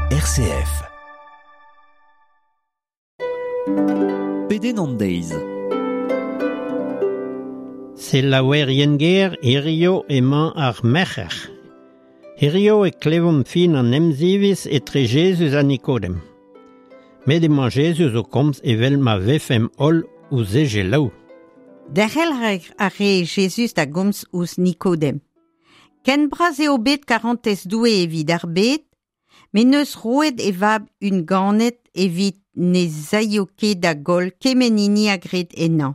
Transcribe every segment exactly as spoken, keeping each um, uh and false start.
R C F. Pedenn an deiz. Selaouerien ger hirio emañ ar merc'her. Hirio e klevomp fin an emziviz etre Jezuz ha Nikodem. Met emañ Jezuz o komz evel ma vefemp holl ouzh e selaou. Derc'hel a re Jezuz da gomz ouzh Nikodem. Ken bras eo bet karantez Doue evit ar bed, met n'eus roet e vab unganet evit ne zaio ket da goll kement hini a gred ennañ,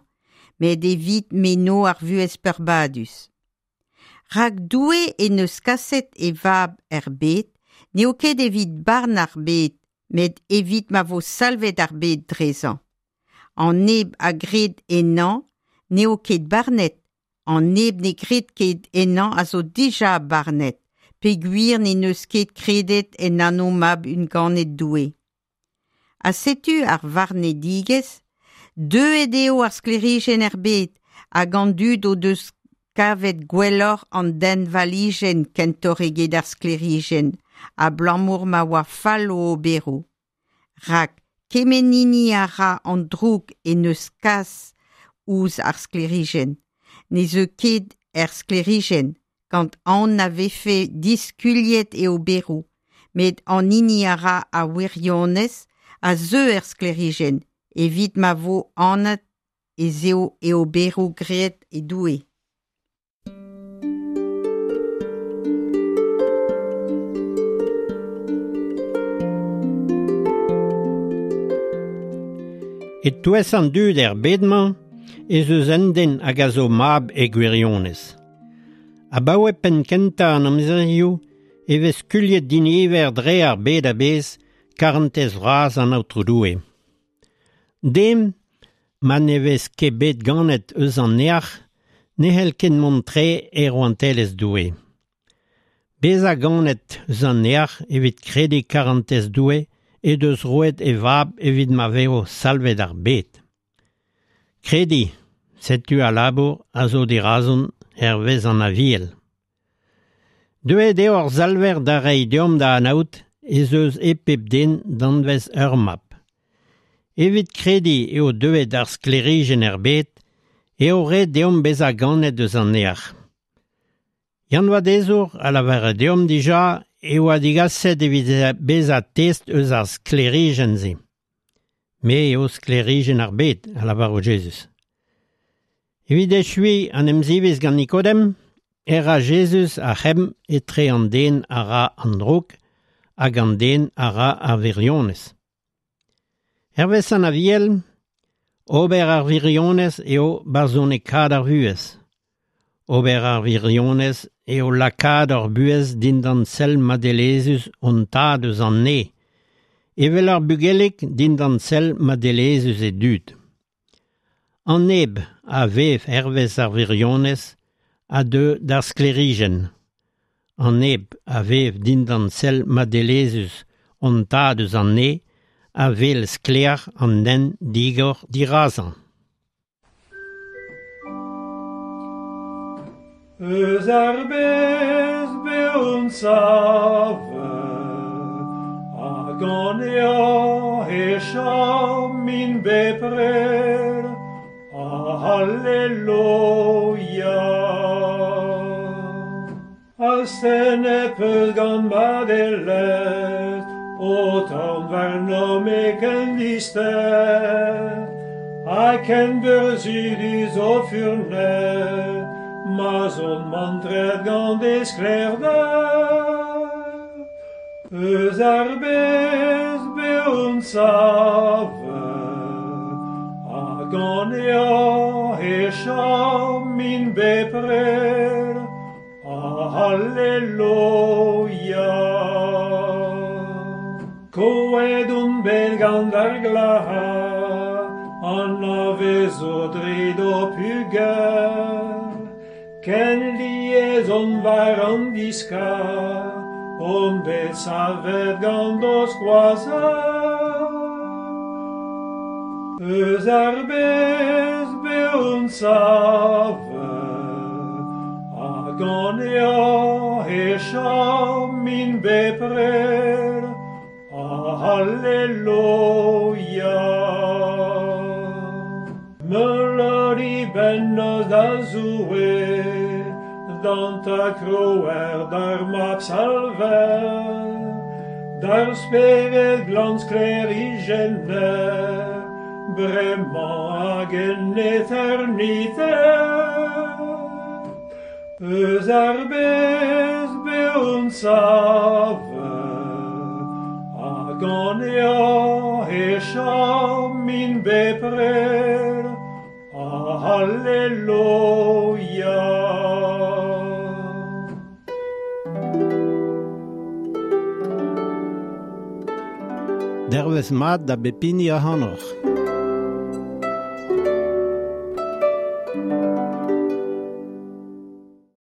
met evit m'eno ar vuhez peurbadus. Rak Doue en deus kaset e vab er bed, n'eo ket evit barn ar bed, met evit ma vo salvet ar bed drezañ. An neb a gred ennañ n'eo ket barnet, an neb ne gred ket ennañ a zo dija barnet, peogwir ne n'eus ket kredet en anv mab unganet Doue. Ha setu ar varnedigezh, deuet eo ar sklêrijenn er bed hag an dud o deus kavet gwelloc'h an denvalijenn kentoc'h eget ar sklêrijenn, abalamour ma oa fall o oberoù. Rak kement hini a ra an droug en deus kas ouzh ar sklêrijenn, ne zeu ket er sklêrijenn, gant aon na vefe diskuliet e oberoù, met an hini a ra ar wirionez a zeu er sklêrijenn, evit ma vo anat ez eo e oberoù graet e Doue. E-touez an dud er bed-mañ ez eus un den hag a zo mab e gwirionez. Abaoe penn kentañ an amzerioù e vez skuilhet diniver dre ar bed a-bezh karantez vras an Aotrou Doue. Dem, ma ne vez ket bet ganet eus an neac'h, ne c'hell ket mont tre e rouantelezh Doue. Bezañ ganet eus an neac'h evit krediñ karantez Doue e deus roet e vab evit ma vezo salvet ar bed. Krediñ, setu al labour a zo dirazon hervez an Aviel. Deuet eo ar salver da reiñ deomp da anaout ez eus e pep den danvez ur mab. Evit krediñ eo deuet ar sklêrijenn er bed, eo ret deomp bezañ ganet eus an neac'h. Yann Vadezour a lavare deomp dija e oa digaset evit bezañ test eus ar sklêrijenn-se. Me eo sklêrijenn ar bed, a lavaro Jezuz. Evit echuiñ an emziviz gant Nikodem, e ra Jezuz ar c'hemm etre an den a ra an droug hag an den a ra ar wirionez. Hervez an Aviel, ober ar wirionez eo barzhonekaat ar vuhez. Ober ar wirionez eo lakaat ar buhez dindan sell madelezhus hon tad eus an neñv, evel ar bugelig dindan sell madelezhus e dud. An neb a vev hervez ar wirionez a deu d'ar sklêrijenn. An neb a vev dindan sell madelezhus hon tad eus an neñv a wel sklaer an hent digor dirazañ. Eus ar bez beon savet, hag an eo e chamin bepred, Alleluia. Astennet peus gant madelezh, o tamm warnomp e ken dister, ha ken burzhudus o furnez, ma'z on mantret gant e sklaerder. Eus ar bez beon savet, hag an eo e chamin bepred, Alleluia. Koet on bet gant ar glac'har, an a vezo dre d'ho pugel, ken lies on war an diskar, on bet savet gant ho skoazell. Eus ar bez beon savet, hag an eo e chamin bepred, Alleluia. Meulodi bennoz da Zoue, d'an ta krouer d'ar mab salver, d'ar spered glan sklêrijenner, bremañ hag en eternite. Eus ar bez beon savet, hag an eo e chamin bepred, Alleluia. Dervez mat da bep hini ac'hanoc'h.